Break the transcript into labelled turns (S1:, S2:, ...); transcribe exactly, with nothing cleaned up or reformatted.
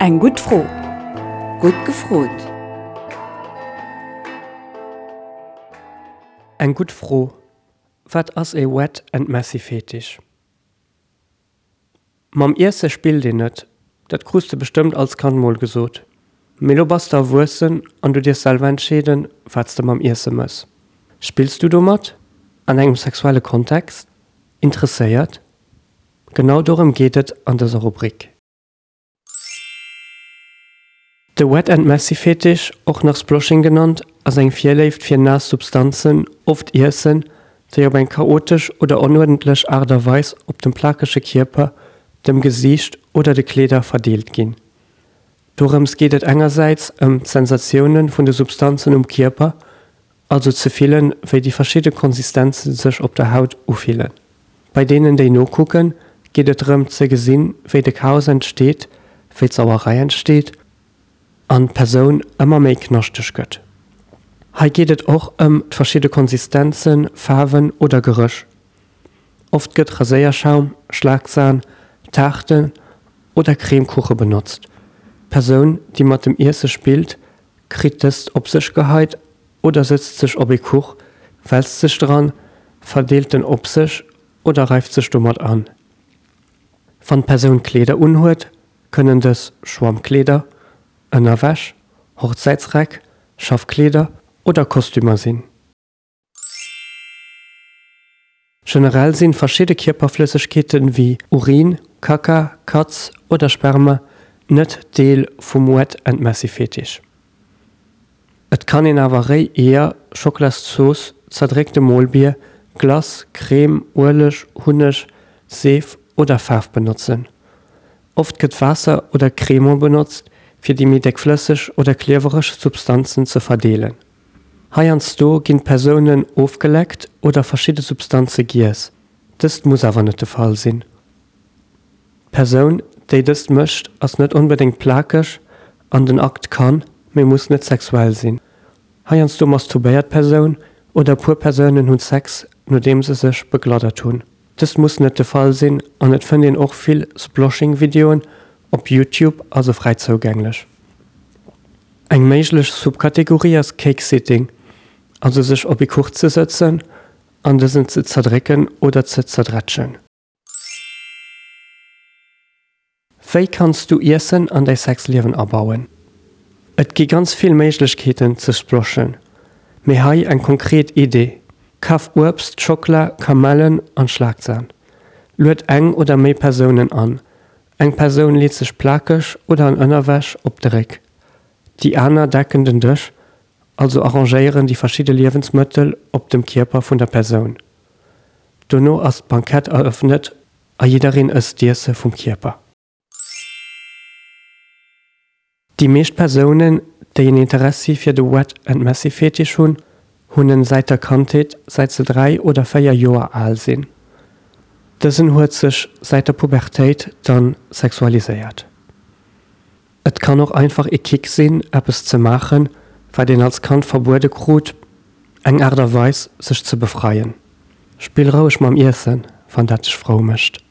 S1: Eng gutt Fro.
S2: Gutt gefrot.
S3: Eng gutt Fro, Wat ass ee Wet and Messy Fetisch? Mam Iesse spillt een net, dat krus de bestëmmt als Kand mol gesot. Mee lo bass de erwuessen an du dierfs selwer entscheeden, wat s de mam Iesse mëss. Spills du domat? An engem sexuelle Kontext? Interesséiert? Genau dorëm geet et an dëser Rubrik. De Wet and Messy Fetisch, och nach Sploshing genannt, ass eng Virléift fir naass Substanzen, oft Iessen, déi op eng chaotesch oder onuerdentlech Aart a Weis op dem plakege Kierper, dem Gesiicht oder de Kleeder verdeelt ginn. Dorëms geet et engersäits ëm d'Sensatioune vun de Substanzen um Kierper, also ze fillen, wéi déi verschidde Konsistenze sech op der Haut ufillen. Bei deenen, déi nokucken, geet et drëm ze gesinn, wéi de Chaos entsteet, wéi d'Sauerei entsteet an d'Persoun ëmmer méi knaschteg gëtt. Hei geet et och ëm d'verschidde Konsistenzen, Faarwen oder Geréch. Oft gëtt Raséierschaum, Schlagsan, Taarten oder Cremekuche benotzt. D'Persoun, déi mat dem Iesse spillt, kritt dëst op sech geheit oder sëtzt sech op ee Kuch, wälzt sech dran, verdeelt en op sech oder reift sech domat an. Wann d'Persoun Kleeder unhuet, kënnen dës Schwammkleeder, Ënnerwäsch, Hochzäitsräck, Schaffkleeder oder Kostümer sinn. Generell sinn verschidde Kierperflëssegkeeten wéi Urin, Kacka, Katz oder Sperma net Deel vum Wet and Messy Fetisch. Et kann een awer réi Eeër, Schocklaszooss, zerdréckte Molbier, Glace, Crème, Ueleg, Hunneg, Seef oder Faarf benotzen. Oft gëtt Waasser oder Cremant benotzt fir déi méi déckflësseg oder kliewereg Substanzen ze verdeelen. Heiansdo ginn d'Persounen ofgeleckt oder verschidde Substanze giess, dëst muss awer net de Fall sinn. D'Persoun, déi dëst mécht, ass net onbedéngt plakeg an den Akt kann, mee muss net sexuell sinn. Heiansdo masturbéiert d'Persoun oder e puer Persounen hunn Sex, nodeem se sech begladdert hunn. Dëst muss net de Fall sinn an et fënnt een och vill Sploshing-Videoen op Youtube, also fräi zougänglech. Eng méiglech Subkategorie ass Cake-Sitting, also sech op ee Kuch ze sëtzen an dësen ze zerdrécken oder ze zerdrätschen. Wéi kanns du Iessen an däi Sexliewen abauen? Et gi ganz vill Méiglechkeeten ze sploshen, mee hei eng konkret Idee, Kaf Uebst, Schockla, Kamellen an Schlagsan. Lued eng oder méi Persounen an. Eng Persoun leet sech plakeg oder an Ënnerwäsch op de Réck. Déi aner decken den Dësch, also arrangéieren déi verschidde Liewensmëttel op dem Kierper vun der Persoun. Dono ass d'Bankett erëffnet a jiddereen ësst d'Iesse vum Kierper. Déi meescht Persounen, déi en Interessi fir de Wet and Messy Fetisch hunn, hunn en säit der Kandheet, säit se dräi oder véier Joer al sinn. Dësen huet sech säit der Pubertéit dann sexualiséiert. Et kann och einfach ee Kick sinn, eppes ze maachen, wat een als Kand verbuede krut, eng Aart a Weis, sech ze befreien. Spill roueg mam Iessen, wann dat dech frou mécht.